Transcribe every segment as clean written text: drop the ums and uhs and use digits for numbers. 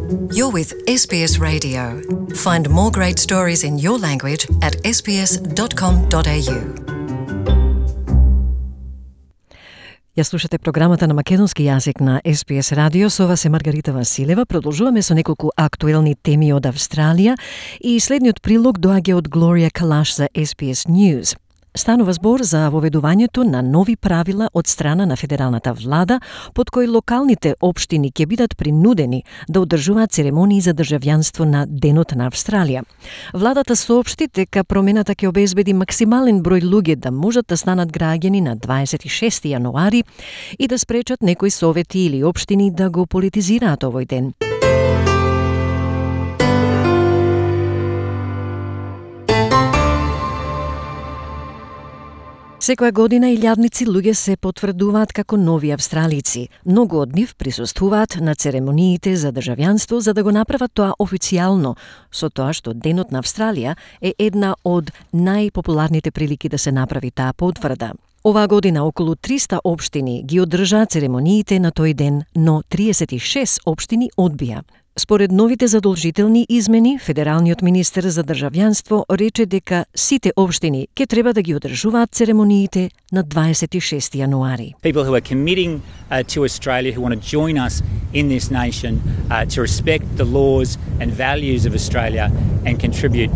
You're with SBS Radio. Find more great stories in your language at sbs.com.au. Ја слушате програмата на македонски јазик на SBS Radio. Со вас е Маргарита Василева. Продолжуваме со неколку актуелни теми од Австралија и следниот прилог доаѓа од Глорија Калаш за SBS News. Станува збор за воведувањето на нови правила од страна на федералната влада, под кои локалните општини ќе бидат принудени да одржуваат церемонии за државјанство на Денот на Австралија. Владата соопшти дека промената ќе обезбеди максимален број луѓе да можат да станат граѓани на 26 јануари и да спречат некои совети или општини да го политизираат овој ден. Секоја година илјадници луѓе се потврдуваат како нови австралици. Многу од нив присуствуваат на церемониите за државјанство за да го направат тоа официјално, со тоа што Денот на Австралија е една од најпопуларните прилики да се направи таа потврда. Оваа година околу 300 општини ги одржаа церемониите на тој ден, но 36 општини одбија. Според новите задолжителни измени, федералниот министер за државјанство рече дека сите општини ќе треба да ги одржуваат церемониите на 26 јануари. People who are committing to Australia, who want to join us in this nation to respect the laws and values of Australia and contribute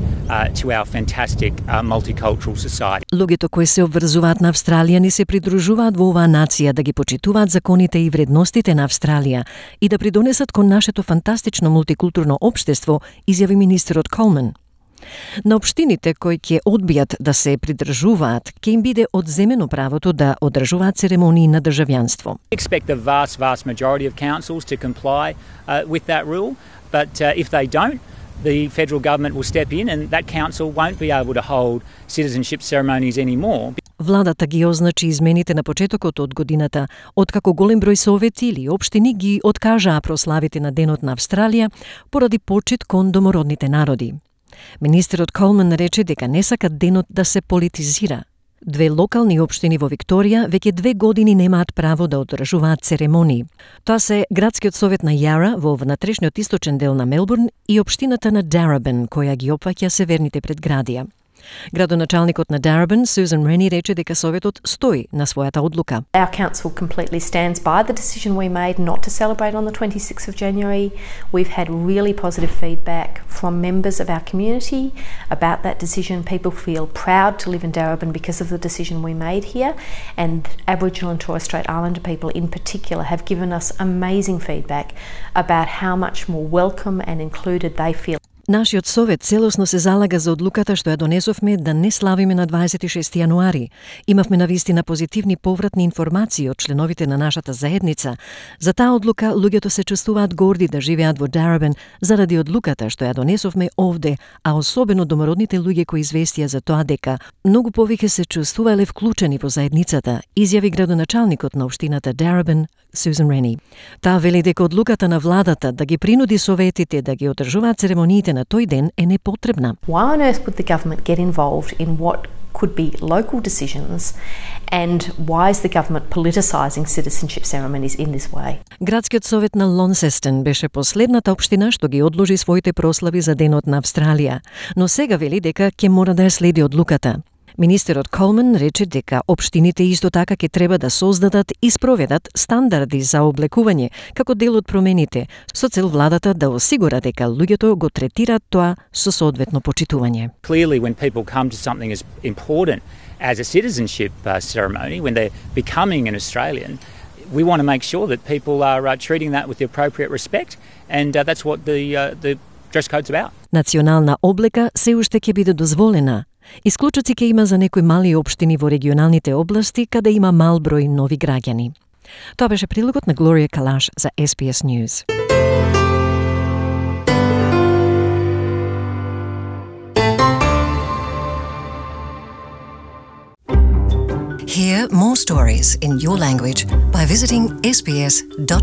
to our fantastic multicultural society. Луѓето кои се обврзуваат на Австралија ни се придружуваат во оваа нација да ги почитуваат законите и вредностите на Австралија и да придонесат кон нашето фантастично мултикултурно општество, изјави министерот Колман. На општините кои ќе одбијат да се придржуваат, ќе им биде одземено правото да одржуваат церемонии на државјанство. Expect the vast majority of councils to comply with that rule, but if they don't, the federal government will step in and that council won't be able to hold citizenship ceremonies anymore. Владата ги означи измените на почетокот од годината, откако голем број совети или општини ги откажаа прославите на Денот на Австралија поради почит кон домородните народи. Министерот Колман рече дека не сакат денот да се политизира. Две локални општини во Викторија веќе 2 години немаат право да одржуваат церемонии. Тоа се градскиот совет на Яра во внатрешниот источен дел на Мелбурн и општината на Дарабин, која ги опфаќа северните предградија. Градоначалникот на Дарабин, Сузан Рени, рече дека советот стои на својата одлука. Our council completely stands by the decision we made not to celebrate on the 26th of January. We've had really positive feedback from members of our community about that decision. People feel proud to live in Darabin because of the decision we made here, and Aboriginal and Torres Strait Islander people in particular have given us amazing feedback about how much more welcome and included they feel. Нашиот совет целосно се залага за одлуката што ја донесовме да не славиме на 26 јануари. Имавме навистина позитивни повратни информации од членовите на нашата заедница. За таа одлука луѓето се чувствуваат горди да живеат во Дарабин заради одлуката што ја донесовме овде, а особено домородните луѓе кои известија за тоа дека многу повеќе се чувствувале вклучени во заедницата, изјави градоначалникот на општината Дарабин, Сузан Рени. Таа вели дека одлуката на владата да ги принуди советите да ги одржуваат церемониите на тој ден е непотребна. Why on earth would the government get involved in what could be local decisions, and why is the government politicising citizenship ceremonies in this way? Градскиот совет на Лонсестен беше последната општина што ги одложи своите прослави за Денот на Австралија, но сега вели дека ќе мора да ја следи одлуката. Министерот Колман рече дека општините исто така ќе треба да создадат и спроведат стандарди за облекување како дел од промените, со цел владата да осигура дека луѓето го третираат тоа со соодветно почитување. Clearly, when people come to something as important as a citizenship ceremony, when they're becoming an Australian, we want to make sure that people are treating that with the appropriate respect, and that's what the dress code's about. Национална облека се уште ќе биде дозволена. Исклучоци ќе има за некои мали општини во регионалните области каде има мал број нови граѓани. Тоа беше прилогот на Глорија Калаш за SBS News. Hear more stories in your language by visiting sbs.com.au.